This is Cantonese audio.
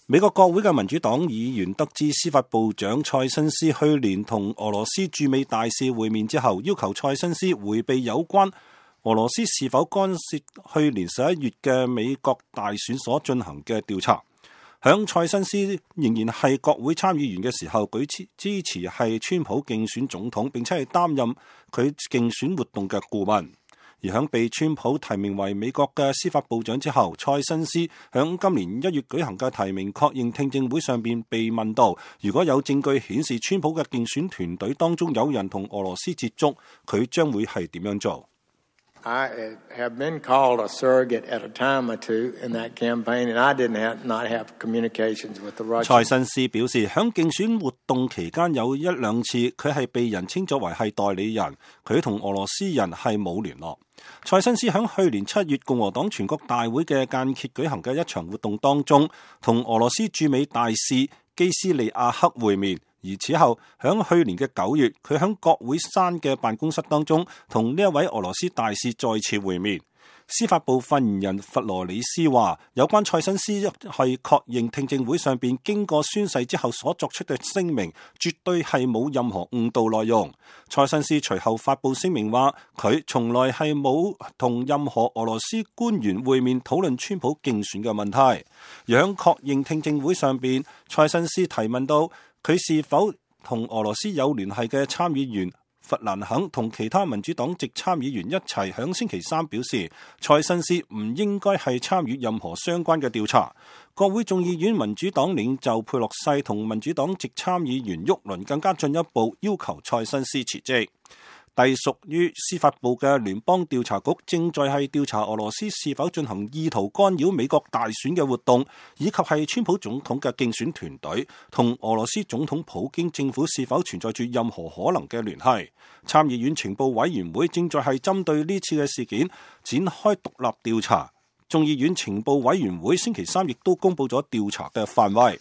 美國國會嘅民主黨議員得知司法部長蔡新斯去年同俄羅斯駐美大使會面之後，要求蔡新斯迴避有關俄羅斯是否干涉去年11月嘅美國大選所進行嘅調查。響蔡新斯仍然係國會參議員嘅時候，佢支持係川普競選總統，並且係擔任佢競選活動嘅顧問。而響被川普提名為美國嘅司法部長之後，蔡新斯響今年1月舉行嘅提名確認聽證會上邊被問到，如果有證據顯示川普嘅競選團隊當中有人同俄羅斯接觸，佢將會係點樣做？I have been called a surrogate at a time or two in that campaign, and I did not have communications with the Russians. 蔡新斯表示，響競選活動期間有1、2次，佢係被人稱作為係代理人，佢同俄羅斯人係冇聯絡。蔡新斯響去年7月共和黨全國大會嘅間歇舉行嘅一場活動當中，同俄羅斯駐美大使基斯利亞克會面。而此後，響去年嘅9月，佢響國會山嘅辦公室當中，同呢一位俄羅斯大使再次會面。司法部發言人弗羅里斯話，有關蔡新斯係確認聽證會上邊經過宣誓之後所作出嘅聲明，絕對係冇任何誤導內容。蔡新斯隨後發布聲明話，佢從來係冇同任何俄羅斯官員會面討論川普競選嘅問題。而響確認聽證會上邊，蔡新斯提問到佢是否同俄羅斯有聯繫嘅參議員弗蘭肯同其他民主黨籍參議員一齊響星期三表示，蔡新斯唔應該係參與任何相關嘅調查。國會眾議院民主黨領袖佩洛西同民主黨籍參議員沃倫更加進一步要求蔡新斯辭職。隸屬於司法部嘅聯邦調查局正在係調查俄羅斯是否進行意圖干擾美國大選嘅活動，以及係川普總統嘅競選團隊同俄羅斯總統普京政府是否存在住任何可能嘅聯繫。參議院情報委員會正在係針對呢次嘅事件展開獨立調查。眾議院情報委員會星期三亦都公布咗調查嘅範圍。